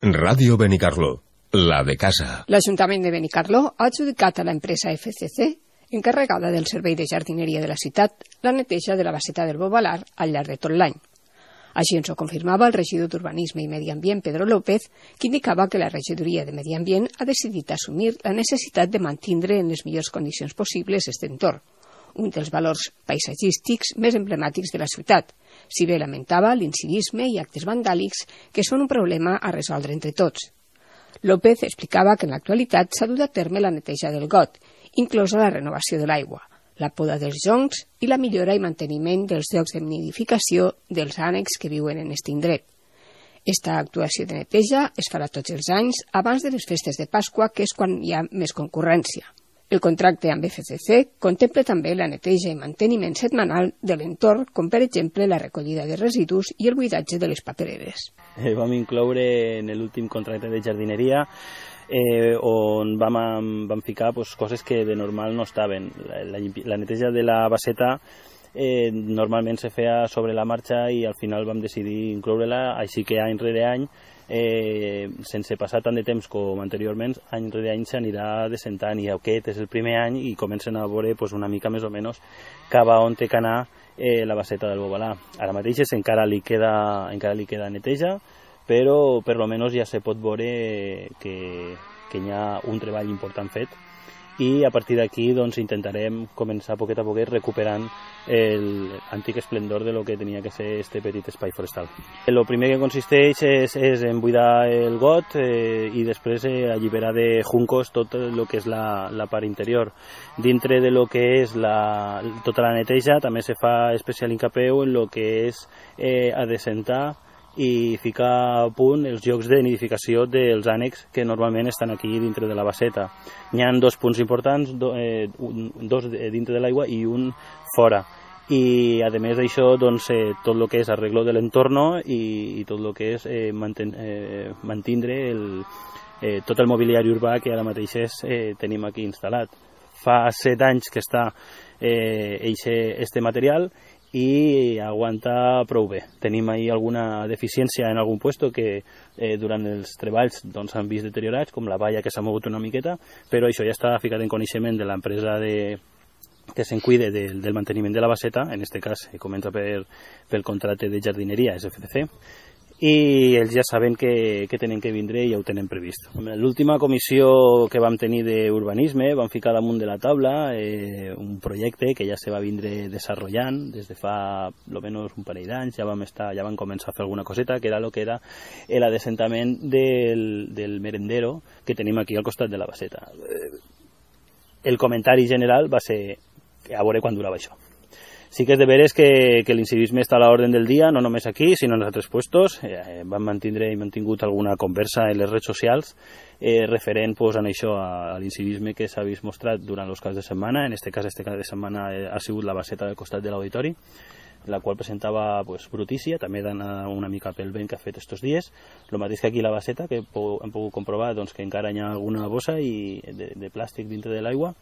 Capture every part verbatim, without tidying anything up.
Ràdio Benicarló, la de casa. L'Ajuntament de Benicarló ha adjudicat a l'empresa F C C, encarregada del servei de jardineria de la ciutat, la neteja de la baseta del Bobalar al llarg de tot l'any. Així ens ho confirmava el regidor d'Urbanisme i Medi Ambient, Pedro López, que indicava que la regidoria de Medi Ambient ha decidit assumir la necessitat de mantindre en les millors condicions possibles aquest entorn, un dels valors paisatgístics més emblemàtics de la ciutat, si bé lamentava l'incivisme i actes vandàlics que són un problema a resoldre entre tots. López explicava que en l'actualitat s'ha dut a terme la neteja del got, inclosa la renovació de l'aigua, la poda dels joncs i la millora i manteniment dels llocs de nidificació dels ànecs que viuen en aquest indret. Esta actuació de neteja es farà tots els anys abans de les festes de Pasqua, que és quan hi ha més concurrència. El contracte amb F C C contempla també la neteja i manteniment setmanal de l'entorn, com per exemple la recollida de residus i el buidatge de les papereres. Eh, vam incloure en l'últim contracte de jardineria eh, on vam, vam ficar pues, coses que de normal no estaven. La, la, la neteja de la baseta eh, normalment se feia sobre la marxa i al final vam decidir incloure-la, així que any rere any, eh, sense passar tant de temps com anteriorment, any rere any s'anirà descentant i aquest és el primer any i comencen a veure pues, una mica més o menys cap a on té que anar eh, la baseta del Bobalar. Ara mateix encara li queda, encara li queda neteja, però per almenys ja se pot veure que, que hi ha un treball important fet i a partir d'aquí doncs, intentarem començar a poquet a poquet recuperant l'antic esplendor de lo que tenia que ser este petit espai forestal. El primer que consisteix és, és en buidar el got eh, i després eh, alliberar de juncos tot el que és la, la part interior. Dintre de lo que és la, tota la neteja també se fa especial hincapeu en lo que és eh, adecentar i ficar a punt els llocs de nidificació dels ànecs que normalment estan aquí dintre de la baseta. N'hi ha dos punts importants, do, eh, un, dos dintre de l'aigua i un fora. I a més d'això, doncs, eh, tot el que és arreglo de l'entorn i, i tot el que és eh, manten, eh, mantindre el, eh, tot el mobiliari urbà que ara mateix és, eh, tenim aquí instal·lat. Fa set anys que està eh, eixe, este material i aguanta prou bé. Tenim ahí alguna deficiència en algun puesto que eh, durant els treballs doncs, han vist deteriorats, com la valla que s'ha mogut una miqueta, però això ja està ficat en coneixement de l'empresa de, que se'n cuide del, del manteniment de la baseta, en aquest cas eh, comença per, pel contracte de jardineria, és F C C, i ells ja saben que, que tenen que vindre i ja ho tenen previst. L'última comissió que vam tenir d'urbanisme vam ficar damunt de la taula eh, un projecte que ja se va vindre desenvolupant des de fa almenys un parell d'anys, ja vam estar, ja vam començar a fer alguna coseta, que era el que era l'assentament del, del merendero que tenim aquí al costat de la baseta. El comentari general va ser a veure quan durava això. Sí que és de veres que, que l'incivisme està a l'ordre del dia, no només aquí, sinó en els altres puestos. Eh, vam mantindre i mantingut alguna conversa en les redes socials eh, referent pues, en això, a, a l'incivisme que s'ha vist mostrat durant els caps de setmana. En aquest cas, este cap de setmana eh, ha sigut la baseta del costat de l'auditori, la qual presentava pues, brutícia, també d'anar una mica pel vent que ha fet estos dies. El mateix que aquí la baseta, que hem pogut comprovar doncs, que encara hi ha alguna bossa i de, de plàstic dintre de l'aigua.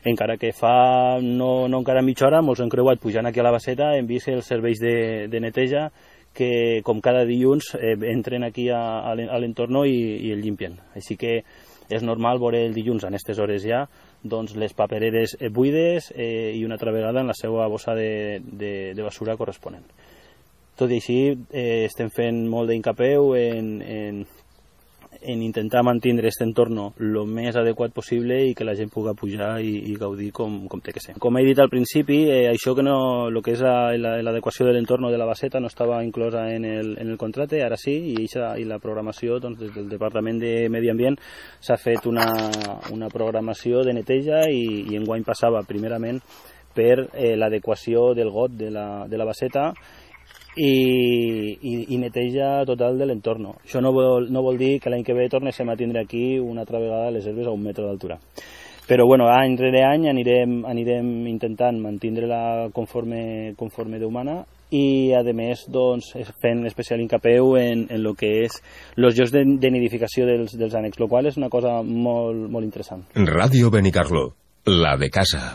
Encara que fa no, no encara mitja hora, molts han creuat pujant aquí a la baseta, hem vist els serveis de, de neteja que com cada dilluns eh, entren aquí a, a l'entorn i, i el llimpien. Així que és normal veure el dilluns a aquestes hores ja doncs, les papereres buides eh, i una altra vegada en la seva bossa de, de, de basura corresponent. Tot i així, eh, estem fent molt d'incapeu en, en, en intentar mantenir aquest entorn el més adequat possible i que la gent pugui pujar i, i gaudir com, com té que ser. Com he dit al principi, eh, això que no, el que és l'adequació de l'entorn de la baseta no estava inclosa en el, en el contracte, ara sí, i, eixa, i la programació doncs, des del Departament de Medi Ambient s'ha fet una, una programació de neteja i, i enguany passava primerament per eh, l'adequació del got de la, de la baseta I, i, i neteja total de l'entorn. Això no vol, no vol dir que l'any que ve tornéssim a tindre aquí una altra vegada les herbes a un metre d'altura. Però bueno, any rere any anirem, anirem intentant mantindre-la conforme, conforme Déu mana i a més doncs, fent especial hincapeu en, en el que és els llocs de, de nidificació dels, dels ànecs, el qual és una cosa molt, molt interessant. Ràdio Benicarló, la de casa.